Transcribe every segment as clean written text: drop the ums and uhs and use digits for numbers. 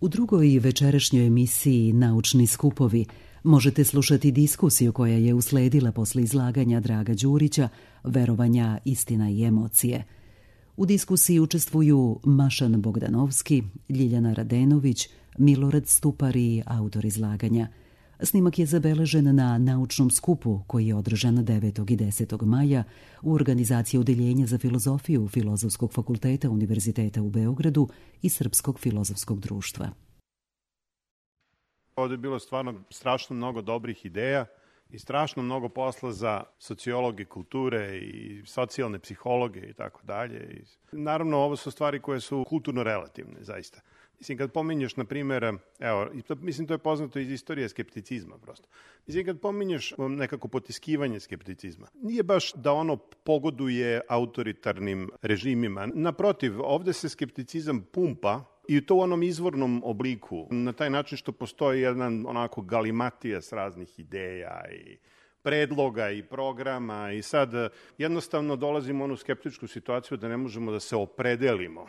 U drugoj večerašnjoj emisiji Naučni skupovi možete slušati diskusiju koja je usledila posle izlaganja Draga Đurića Verovanja, istina i emocije. U diskusiji učestvuju Mašan Bogdanovski, Ljiljana Radenović, Milorad Stupar i autor izlaganja. Snimak je zabeležen na naučnom skupu koji je održan 9. i 10. maja u organizaciji Odeljenja za filozofiju Filozofskog fakulteta Univerziteta u Beogradu i Srpskog filozofskog društva. Ovde je bilo stvarno strašno mnogo dobrih ideja i strašno mnogo posla za sociologe kulture i socijalne psihologe i tako dalje. Naravno, ovo su stvari koje su kulturno relativne, zaista. Mislim, kad pominješ, na primjer, mislim, to je poznato iz istorije skepticizma prosto. Mislim, kad pominješ nekako potiskivanje skepticizma, nije baš da ono pogoduje autoritarnim režimima. Naprotiv, ovde se skepticizam pumpa i to u onom izvornom obliku, na taj način što postoji jedan onako galimatijas raznih ideja i predloga i programa i sad jednostavno dolazimo u onu skeptičku situaciju da ne možemo da se opredelimo.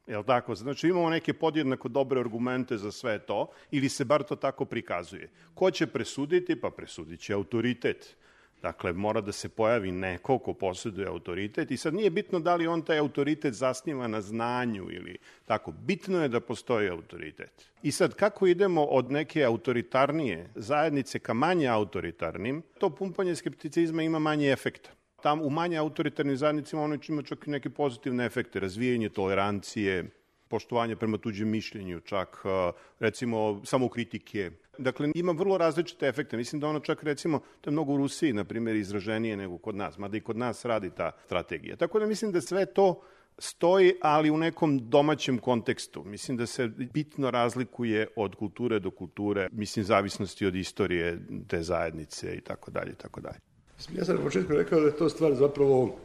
Jel tako? Znači imamo neke podjednako dobre argumente za sve to ili se bar to tako prikazuje. Ko će presuditi? Pa presudit će autoritet. Dakle, mora da se pojavi neko ko posjeduje autoritet i sad nije bitno da li on taj autoritet zasniva na znanju ili tako. Bitno je da postoji autoritet. I sad, kako idemo od neke autoritarnije zajednice ka manje autoritarnim, to pumpanje skepticizma ima manje efekta. Tam u manje autoritarnim zajednicima ono ima čak i neke pozitivne efekte, razvijanje tolerancije, poštovanje prema tuđem mišljenju, čak recimo samokritike. Dakle, ima vrlo različite efekte. Mislim da ono čak recimo, to je mnogo u Rusiji, na primjer, izraženije nego kod nas, mada i kod nas radi ta strategija. Tako da mislim da sve to stoji, ali u nekom domaćem kontekstu. Mislim da se bitno razlikuje od kulture do kulture, mislim, zavisnosti od istorije te zajednice i tako dalje, i tako dalje. Ja sam na početku rekao da je to stvar zapravo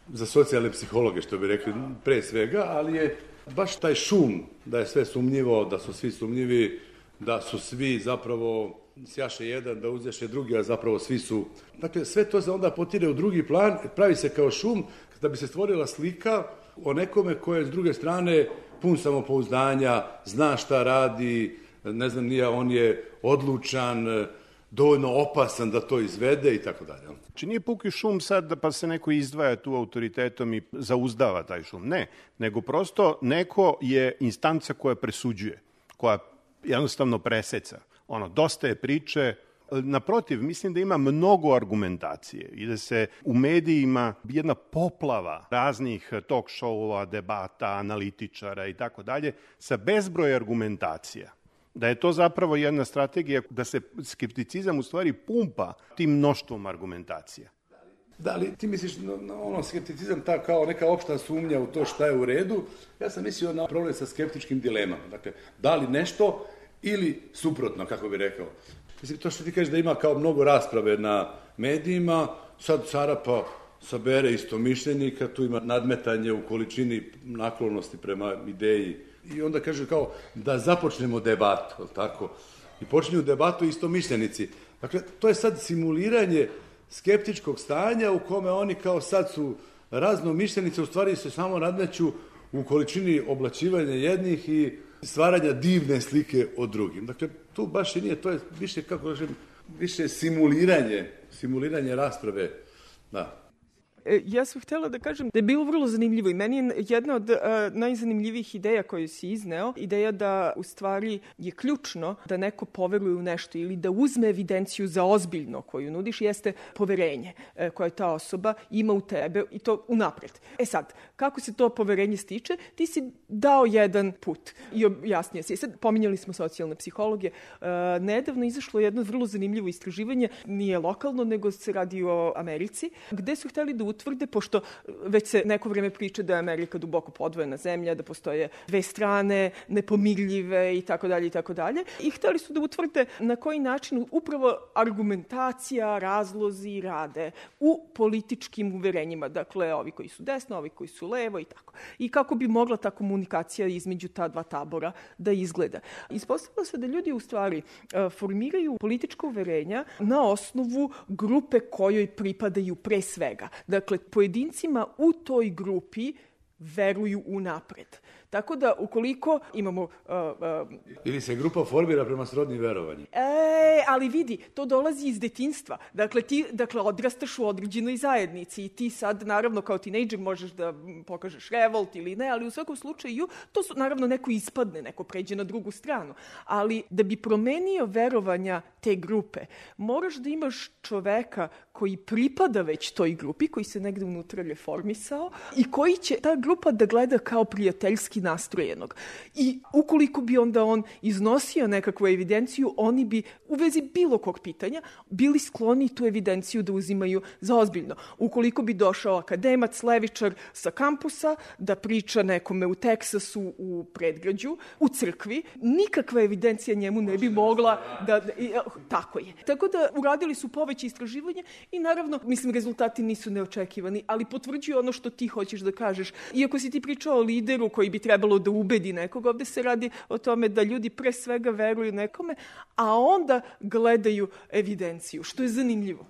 za socijalne psihologe, što bi rekli, pre svega, ali je baš taj šum, da je sve sumnjivo, da su svi sumnjivi, da su svi zapravo sjaše jedan, da uzjaše drugi, a zapravo svi su. Dakle, sve to se onda potire u drugi plan, pravi se kao šum, da bi se stvorila slika o nekome koje s druge strane pun samopouzdanja, zna šta radi, ne znam nija, on je odlučan, dovoljno opasan da to izvede i tako dalje. Znači nije puki šum sad pa se neko izdvaja tu autoritetom i zauzdava taj šum. Ne, nego prosto neko je instanca koja presuđuje, koja jednostavno preseca. Dosta je priče. Naprotiv, mislim da ima mnogo argumentacije i da se u medijima jedna poplava raznih talk show-ova, debata, analitičara i tako dalje sa bezbroj argumentacija. Da je to zapravo jedna strategija da se skepticizam u stvari pumpa tim mnoštvom argumentacija. Da li ti misliš na skepticizam ta kao neka opšta sumnja u to šta je u redu? Ja sam mislio na problem sa skeptičkim dilemama. Dakle, da li nešto ili suprotno, kako bi rekao. Mislim, to što ti kažeš da ima kao mnogo rasprave na medijima, sad Sarapa sabere istomišljenika, tu ima nadmetanje u količini naklonosti prema ideji. I onda kaže kao da započnemo debatu, tako? I počinju debatu istomišljenici. Dakle, to je sad simuliranje skeptičkog stanja u kome oni kao sad su raznomišljenice, u stvari se samo nadmeću u količini oblačivanja jednih i stvaranja divne slike o drugim. Dakle, tu baš i nije, to je više, kako kažem, više simuliranje rasprave, da. Ja sam htjela da kažem da je bilo vrlo zanimljivo i meni je jedna od najzanimljivijih ideja koju si izneo, ideja da u stvari je ključno da neko poveruje u nešto ili da uzme evidenciju za ozbiljno koju nudiš, jeste poverenje koje ta osoba ima u tebe i to unapred. Sad, kako se to poverenje stiče? Ti si dao jedan put i objasnio si. Sad, pominjali smo socijalne psihologe. Nedavno izašlo jedno vrlo zanimljivo istraživanje, nije lokalno, nego se radi o Americi, gde su hteli da utvrde, pošto već se neko vreme priča da je Amerika duboko podvojena zemlja, da postoje dve strane, nepomirljive i tako dalje. I hteli su da utvrde na koji način upravo argumentacija, razlozi rade u političkim uverenjima. Dakle, ovi koji su desno, ovi koji su levo i tako. I kako bi mogla ta komunikacija između ta dva tabora da izgleda. Ispostavilo se da ljudi u stvari formiraju politička uverenja na osnovu grupe kojoj pripadaju pre svega. Dakle, pojedincima u toj grupi veruju unapred. Tako da, ukoliko imamo... Ili se grupa formira prema srodnim verovanjima. Ali vidi, to dolazi iz detinjstva. Dakle, ti odrastaš u određenoj zajednici i ti sad, naravno, kao tinejdžer možeš da pokažeš revolt ili ne, ali u svakom slučaju to su, naravno, neko ispadne, neko pređe na drugu stranu. Ali da bi promenio verovanja te grupe, moraš da imaš čoveka koji pripada već toj grupi, koji se negde unutra reformisao i koji će ta grupa da gleda kao prijateljski nastrojenog. I ukoliko bi onda on iznosio nekakvu evidenciju, oni bi u vezi bilo kog pitanja bili skloni tu evidenciju da uzimaju za ozbiljno. Ukoliko bi došao akademac, levičar sa kampusa da priča nekome u Teksasu, u predgrađu, u crkvi, nikakva evidencija njemu ne bi mogla da... Tako je. Tako da uradili su poveće istraživanje i naravno, mislim, rezultati nisu neočekivani, ali potvrđuju ono što ti hoćeš da kažeš. Iako si ti pričao o lideru koji bi trebalo da ubedi nekog, ovde se radi o tome da ljudi pre svega veruju nekome, a onda gledaju evidenciju, što je zanimljivo.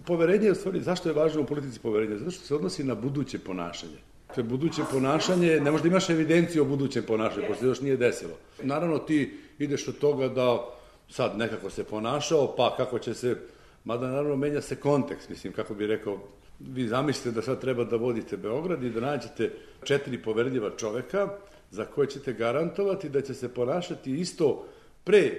Poverenje je u stvari, zašto je važno u politici poverenje? Zato što se odnosi na buduće ponašanje. To buduće ponašanje, ne možda imaš evidenciju o budućem ponašanju, pošto se još nije desilo. Naravno, ti ideš od toga da sad nekako se ponašao, pa kako će se, mada naravno menja se kontekst, mislim, kako bi rekao, vi zamislite da sad treba da vodite Beograd i da nađete 4 poverljiva čoveka za koje ćete garantovati da će se ponašati isto pre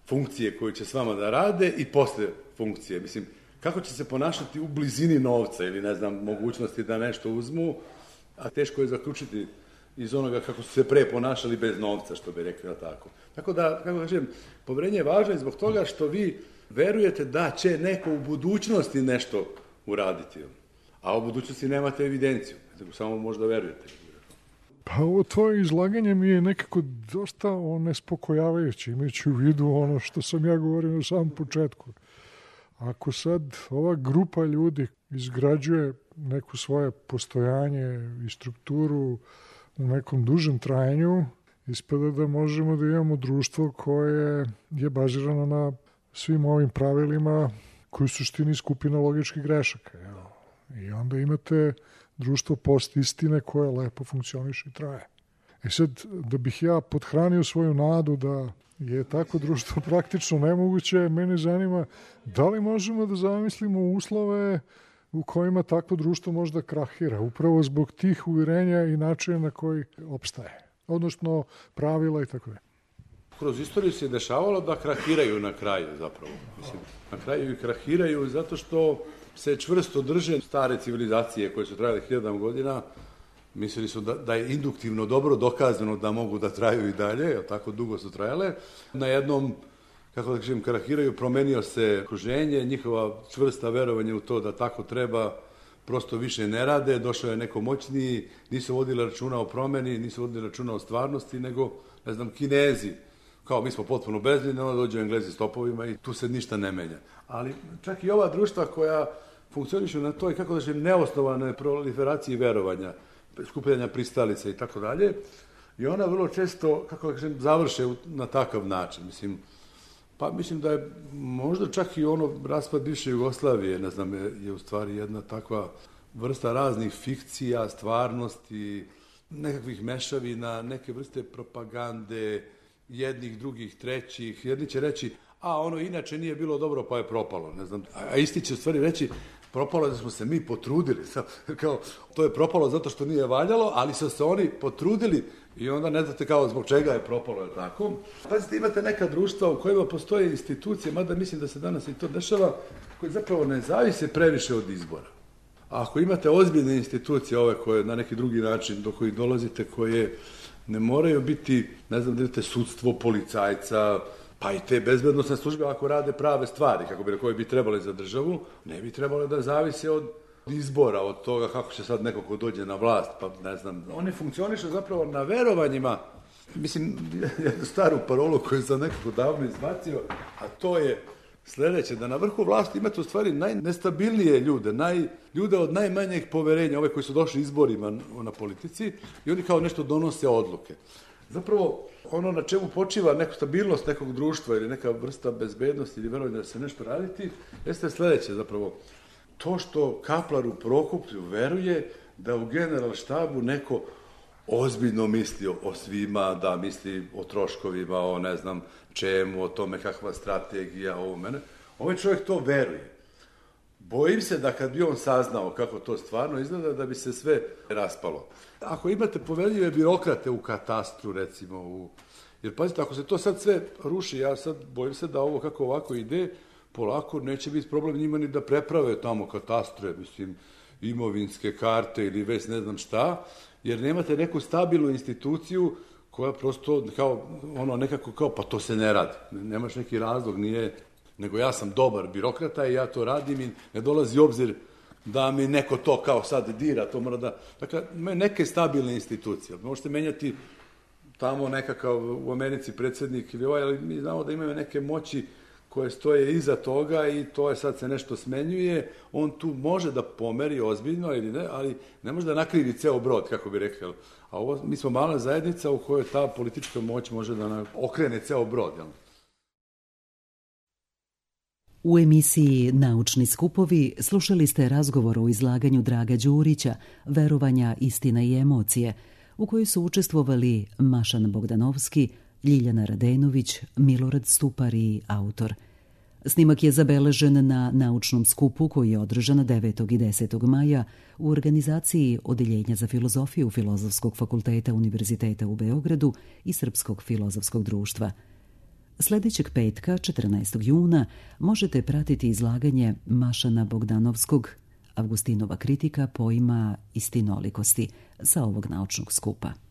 funkcije koju će s vama da rade i posle funkcije. Mislim, kako će se ponašati u blizini novca ili, ne znam, mogućnosti da nešto uzmu, a teško je zaključiti iz onoga kako su se pre ponašali bez novca, što bi rekli, tako. Tako da, kako kažem, poverenje je važno i zbog toga što vi verujete da će neko u budućnosti nešto uraditi, a u budućnosti nemate evidenciju, nego samo možda verujete. Pa ovo tvoje izlaganje mi je nekako dosta nespokojavajuće, imajući u vidu ono što sam ja govorio na samom početku. Ako sad ova grupa ljudi izgrađuje neko svoje postojanje i strukturu u nekom dužem trajanju, ispada da možemo da imamo društvo koje je bazirano na svim ovim pravilima koji su suštini skupina logičkih grešaka. Evo. I onda imate društvo post-istine koje lepo funkcioniše i traje. I sad, da bih ja podhranio svoju nadu da je tako društvo praktično nemoguće, mene zanima da li možemo da zamislimo uslove u kojima takvo društvo možda krahira, upravo zbog tih uverenja i načina na koji opstaje, odnosno pravila i tako je. Kroz istoriju se dešavalo da krahiraju na kraju zapravo. Mislim, na kraju i krahiraju zato što se čvrsto drže stare civilizacije koje su trajale 1000 godina. Mislili su da je induktivno dobro dokazano da mogu da traju i dalje, jer tako dugo su trajale. Na jednom, kako da kažem, krahiraju, promenio se okruženje, njihova čvrsta verovanje u to da tako treba, prosto više ne rade, došao je neko moćniji, nisu vodili računa o promeni, nisu vodili računa o stvarnosti, nego, ne znam, Kinezi. Kao mi smo potpuno bezbedni, onda dođu Englezi s topovima i tu se ništa ne menja. Ali čak i ova društva koja funkcionišu na toj, kako da kažem, neosnovanoj proliferaciji verovanja, skupljanja pristalica i tako dalje, i ona vrlo često, kako da kažem, završe na takav način. Mislim da je možda čak i ono raspad bivše Jugoslavije, ne znam, je u stvari jedna takva vrsta raznih fikcija, stvarnosti, nekakvih mešavina, neke vrste propagande, jednih, drugih, trećih. Jedni će reći, ono inače nije bilo dobro pa je propalo, ne znam. A isti će u stvari reći, propalo je da smo se mi potrudili. Kao, to je propalo zato što nije valjalo, ali su se oni potrudili i onda ne znate kao zbog čega je propalo, je tako? Pazite, imate neka društva u kojima postoje institucije, mada mislim da se danas i to dešava, koje zapravo ne zavise previše od izbora. A ako imate ozbiljne institucije, ove koje na neki drugi način do kojih dolazite, koje ne moraju biti, ne znam, da imate sudstvo, policajca, pa i te bezbednosne službe, ako rade prave stvari, koje bi trebali za državu, ne bi trebalo da zavise od izbora, od toga kako će sad neko ko dođe na vlast, pa ne znam. Oni funkcionišu zapravo na verovanjima. Mislim, jednu staru parolu koju sam nekako davno izbacio, a to je sledeće, da na vrhu vlasti imate u stvari najnestabilnije ljude, ljude od najmanjeg poverenja, ove koji su došli izborima na politici i oni kao nešto donose odluke. Zapravo, ono na čemu počiva neka stabilnost nekog društva ili neka vrsta bezbednosti ili verovanja da se nešto raditi, jeste sledeće zapravo. To što Kaplar u Prokuplju veruje da u generalštabu neko ozbiljno misli o svima, da misli o troškovima, o ne znam čemu, o tome kakva strategija, ovo mene. Ovaj čovjek to veruje. Bojim se da kad bi on saznao kako to stvarno izgleda, da bi se sve raspalo. Ako imate poveljive birokrate u katastru, recimo, jer pazite, ako se to sad sve ruši, ja sad bojim se da ovo kako ovako ide, polako neće biti problem njima ni da preprave tamo katastre, mislim, imovinske karte ili već ne znam šta, jer nemate neku stabilnu instituciju koja prosto kao, nekako kao, pa to se ne radi. Nemaš neki razlog, nije, nego ja sam dobar birokrata i ja to radim i ne dolazi obzir da mi neko to kao sad dira, to mora da... Dakle, neke stabilne institucije. Možete menjati tamo nekakav u Americi predsjednik ili ali mi znamo da imaju neke moći koje stoje iza toga i to je sad se nešto smenjuje, on tu može da pomeri ozbiljno ili ne, ali ne može da nakrivi ceo brod, kako bi rekli. A ovo, mi smo mala zajednica u kojoj ta politička moć može da okrene ceo brod. Jel? U emisiji Naučni skupovi slušali ste razgovor o izlaganju Draga Đurića, Verovanja, istina i emocije, u kojoj su učestvovali Mašan Bogdanovski, Ljiljana Radenović, Milorad Stupar i autor. Snimak je zabeležen na naučnom skupu koji je održan 9. i 10. maja u organizaciji Odeljenja za filozofiju Filozofskog fakulteta Univerziteta u Beogradu i Srpskog filozofskog društva. Sljedećeg petka, 14. juna, možete pratiti izlaganje Mašana Bogdanovskog, Avgustinova kritika pojma istinolikosti sa ovog naučnog skupa.